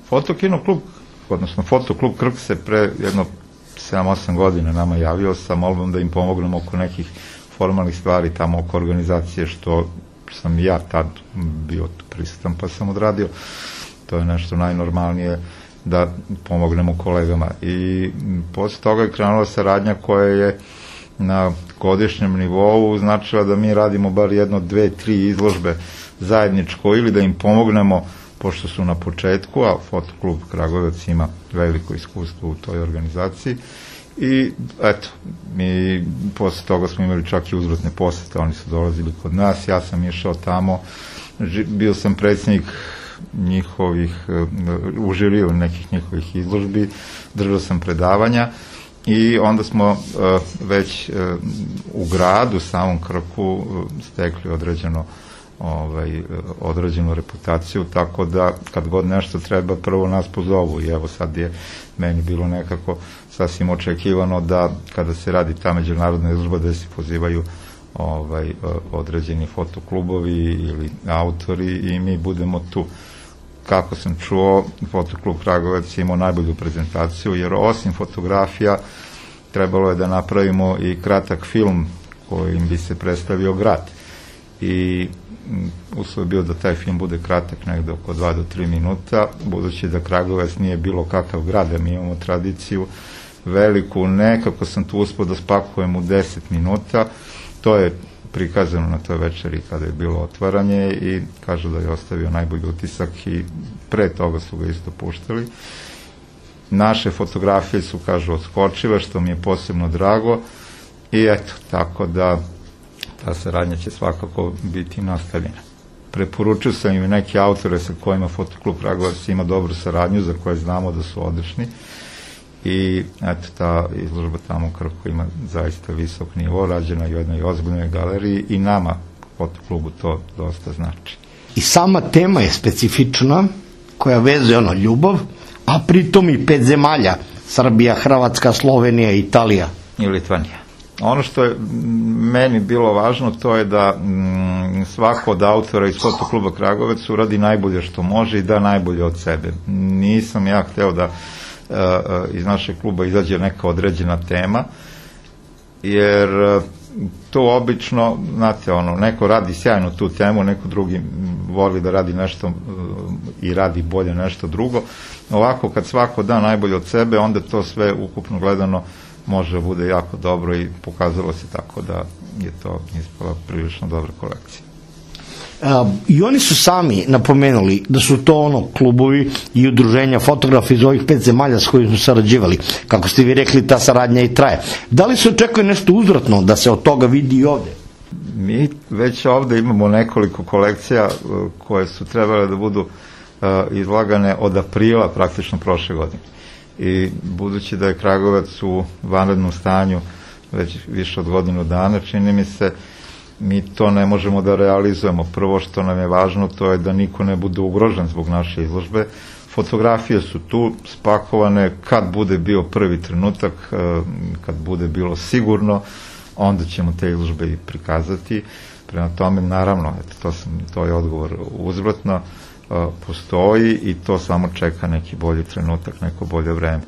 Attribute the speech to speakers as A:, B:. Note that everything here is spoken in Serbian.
A: Fotokino klub, odnosno Fotoklub Krk se pre jedno 7-8 godina nama javio sa molbom da im pomognemo oko nekih formalnih stvari tamo oko organizacije, što sam ja tad bio prisutan pa sam odradio. To je nešto najnormalnije da pomognemo kolegama. I posle toga je krenula saradnja koja je na godišnjem nivou značila da mi radimo bar jedno, 2, 3 izložbe zajedničko ili da im pomognemo, pošto su na početku, a Fotoklub Kragujevac ima veliko iskustvo u toj organizaciji. I eto, mi posle toga smo imali čak i uzvratne posete, oni su dolazili kod nas, ja sam išao tamo, bio sam predsjednik njihovih, u žiriju nekih njihovih izložbi, držao sam predavanja i onda smo već u gradu, samom Krku, stekli određenu reputaciju, tako da kad god nešto treba, prvo nas pozovu i evo sad je meni bilo nekako sasvim očekivano da kada se radi ta međunarodna izložba da se pozivaju određeni fotoklubovi ili autori i mi budemo tu. Kako sam čuo, Fotoklub Kragujevac je imao najbolju prezentaciju, jer osim fotografija trebalo je da napravimo i kratak film kojim bi se predstavio grad. I uslov je bio da taj film bude kratak, negde oko 2 do 3 minuta, budući da Kragujevac nije bilo kakav grad, a mi imamo tradiciju veliku, nekako sam tu uspio da spakujem u 10 minuta, to je prikazano na toj večeri kada je bilo otvaranje i kažu da je ostavio najbolji utisak i pre toga su ga isto puštali. Naše fotografije su, kažu, odskočive, što mi je posebno drago i eto, tako da ta saradnja će svakako biti nastavljena. Preporučio sam im neke autore sa kojima Fotoklub Kragujevac ima dobru saradnju, za koje znamo da su odlični i eto, ta izložba tamo u Krku ima zaista visok nivo, rađena u jednoj ozbiljnoj galeriji i nama Fotoklubu to dosta znači.
B: I sama tema je specifična, koja vezuje ljubav, a pritom i 5 zemalja, Srbija, Hrvatska, Slovenija, Italija
A: i Litvanija. Ono što je meni bilo važno, to je da svako od autora iz Fotokluba Kragujevac uradi najbolje što može i da najbolje od sebe. Nisam ja hteo da iz našeg kluba izađe neka određena tema, jer to obično, znate, neko radi sjajno tu temu, neko drugi voli da radi nešto i radi bolje nešto drugo. Ovako, kad svako da najbolje od sebe, onda to sve ukupno gledano može da bude jako dobro i pokazalo se tako da je to ispala prilično dobra kolekcija.
B: I oni su sami napomenuli da su to klubovi i udruženja fotografa iz ovih 5 zemalja s kojim su sarađivali. Kako ste vi rekli, ta saradnja i traje. Da li se očekuje nešto uzvratno da se od toga vidi i ovde?
A: Mi već ovde imamo nekoliko kolekcija koje su trebale da budu izlagane od aprila praktično prošle godine. I budući da je Kragujevac u vanrednom stanju već više od godinu dana, čini mi se, mi to ne možemo da realizujemo. Prvo što nam je važno, to je da niko ne bude ugrožen zbog naše izložbe. Fotografije su tu spakovane, kad bude bio prvi trenutak, kad bude bilo sigurno, onda ćemo te izložbe i prikazati. Prema tome, naravno, to je odgovor uzvratno, postoji i to samo čeka neki bolji trenutak, neko bolje vreme.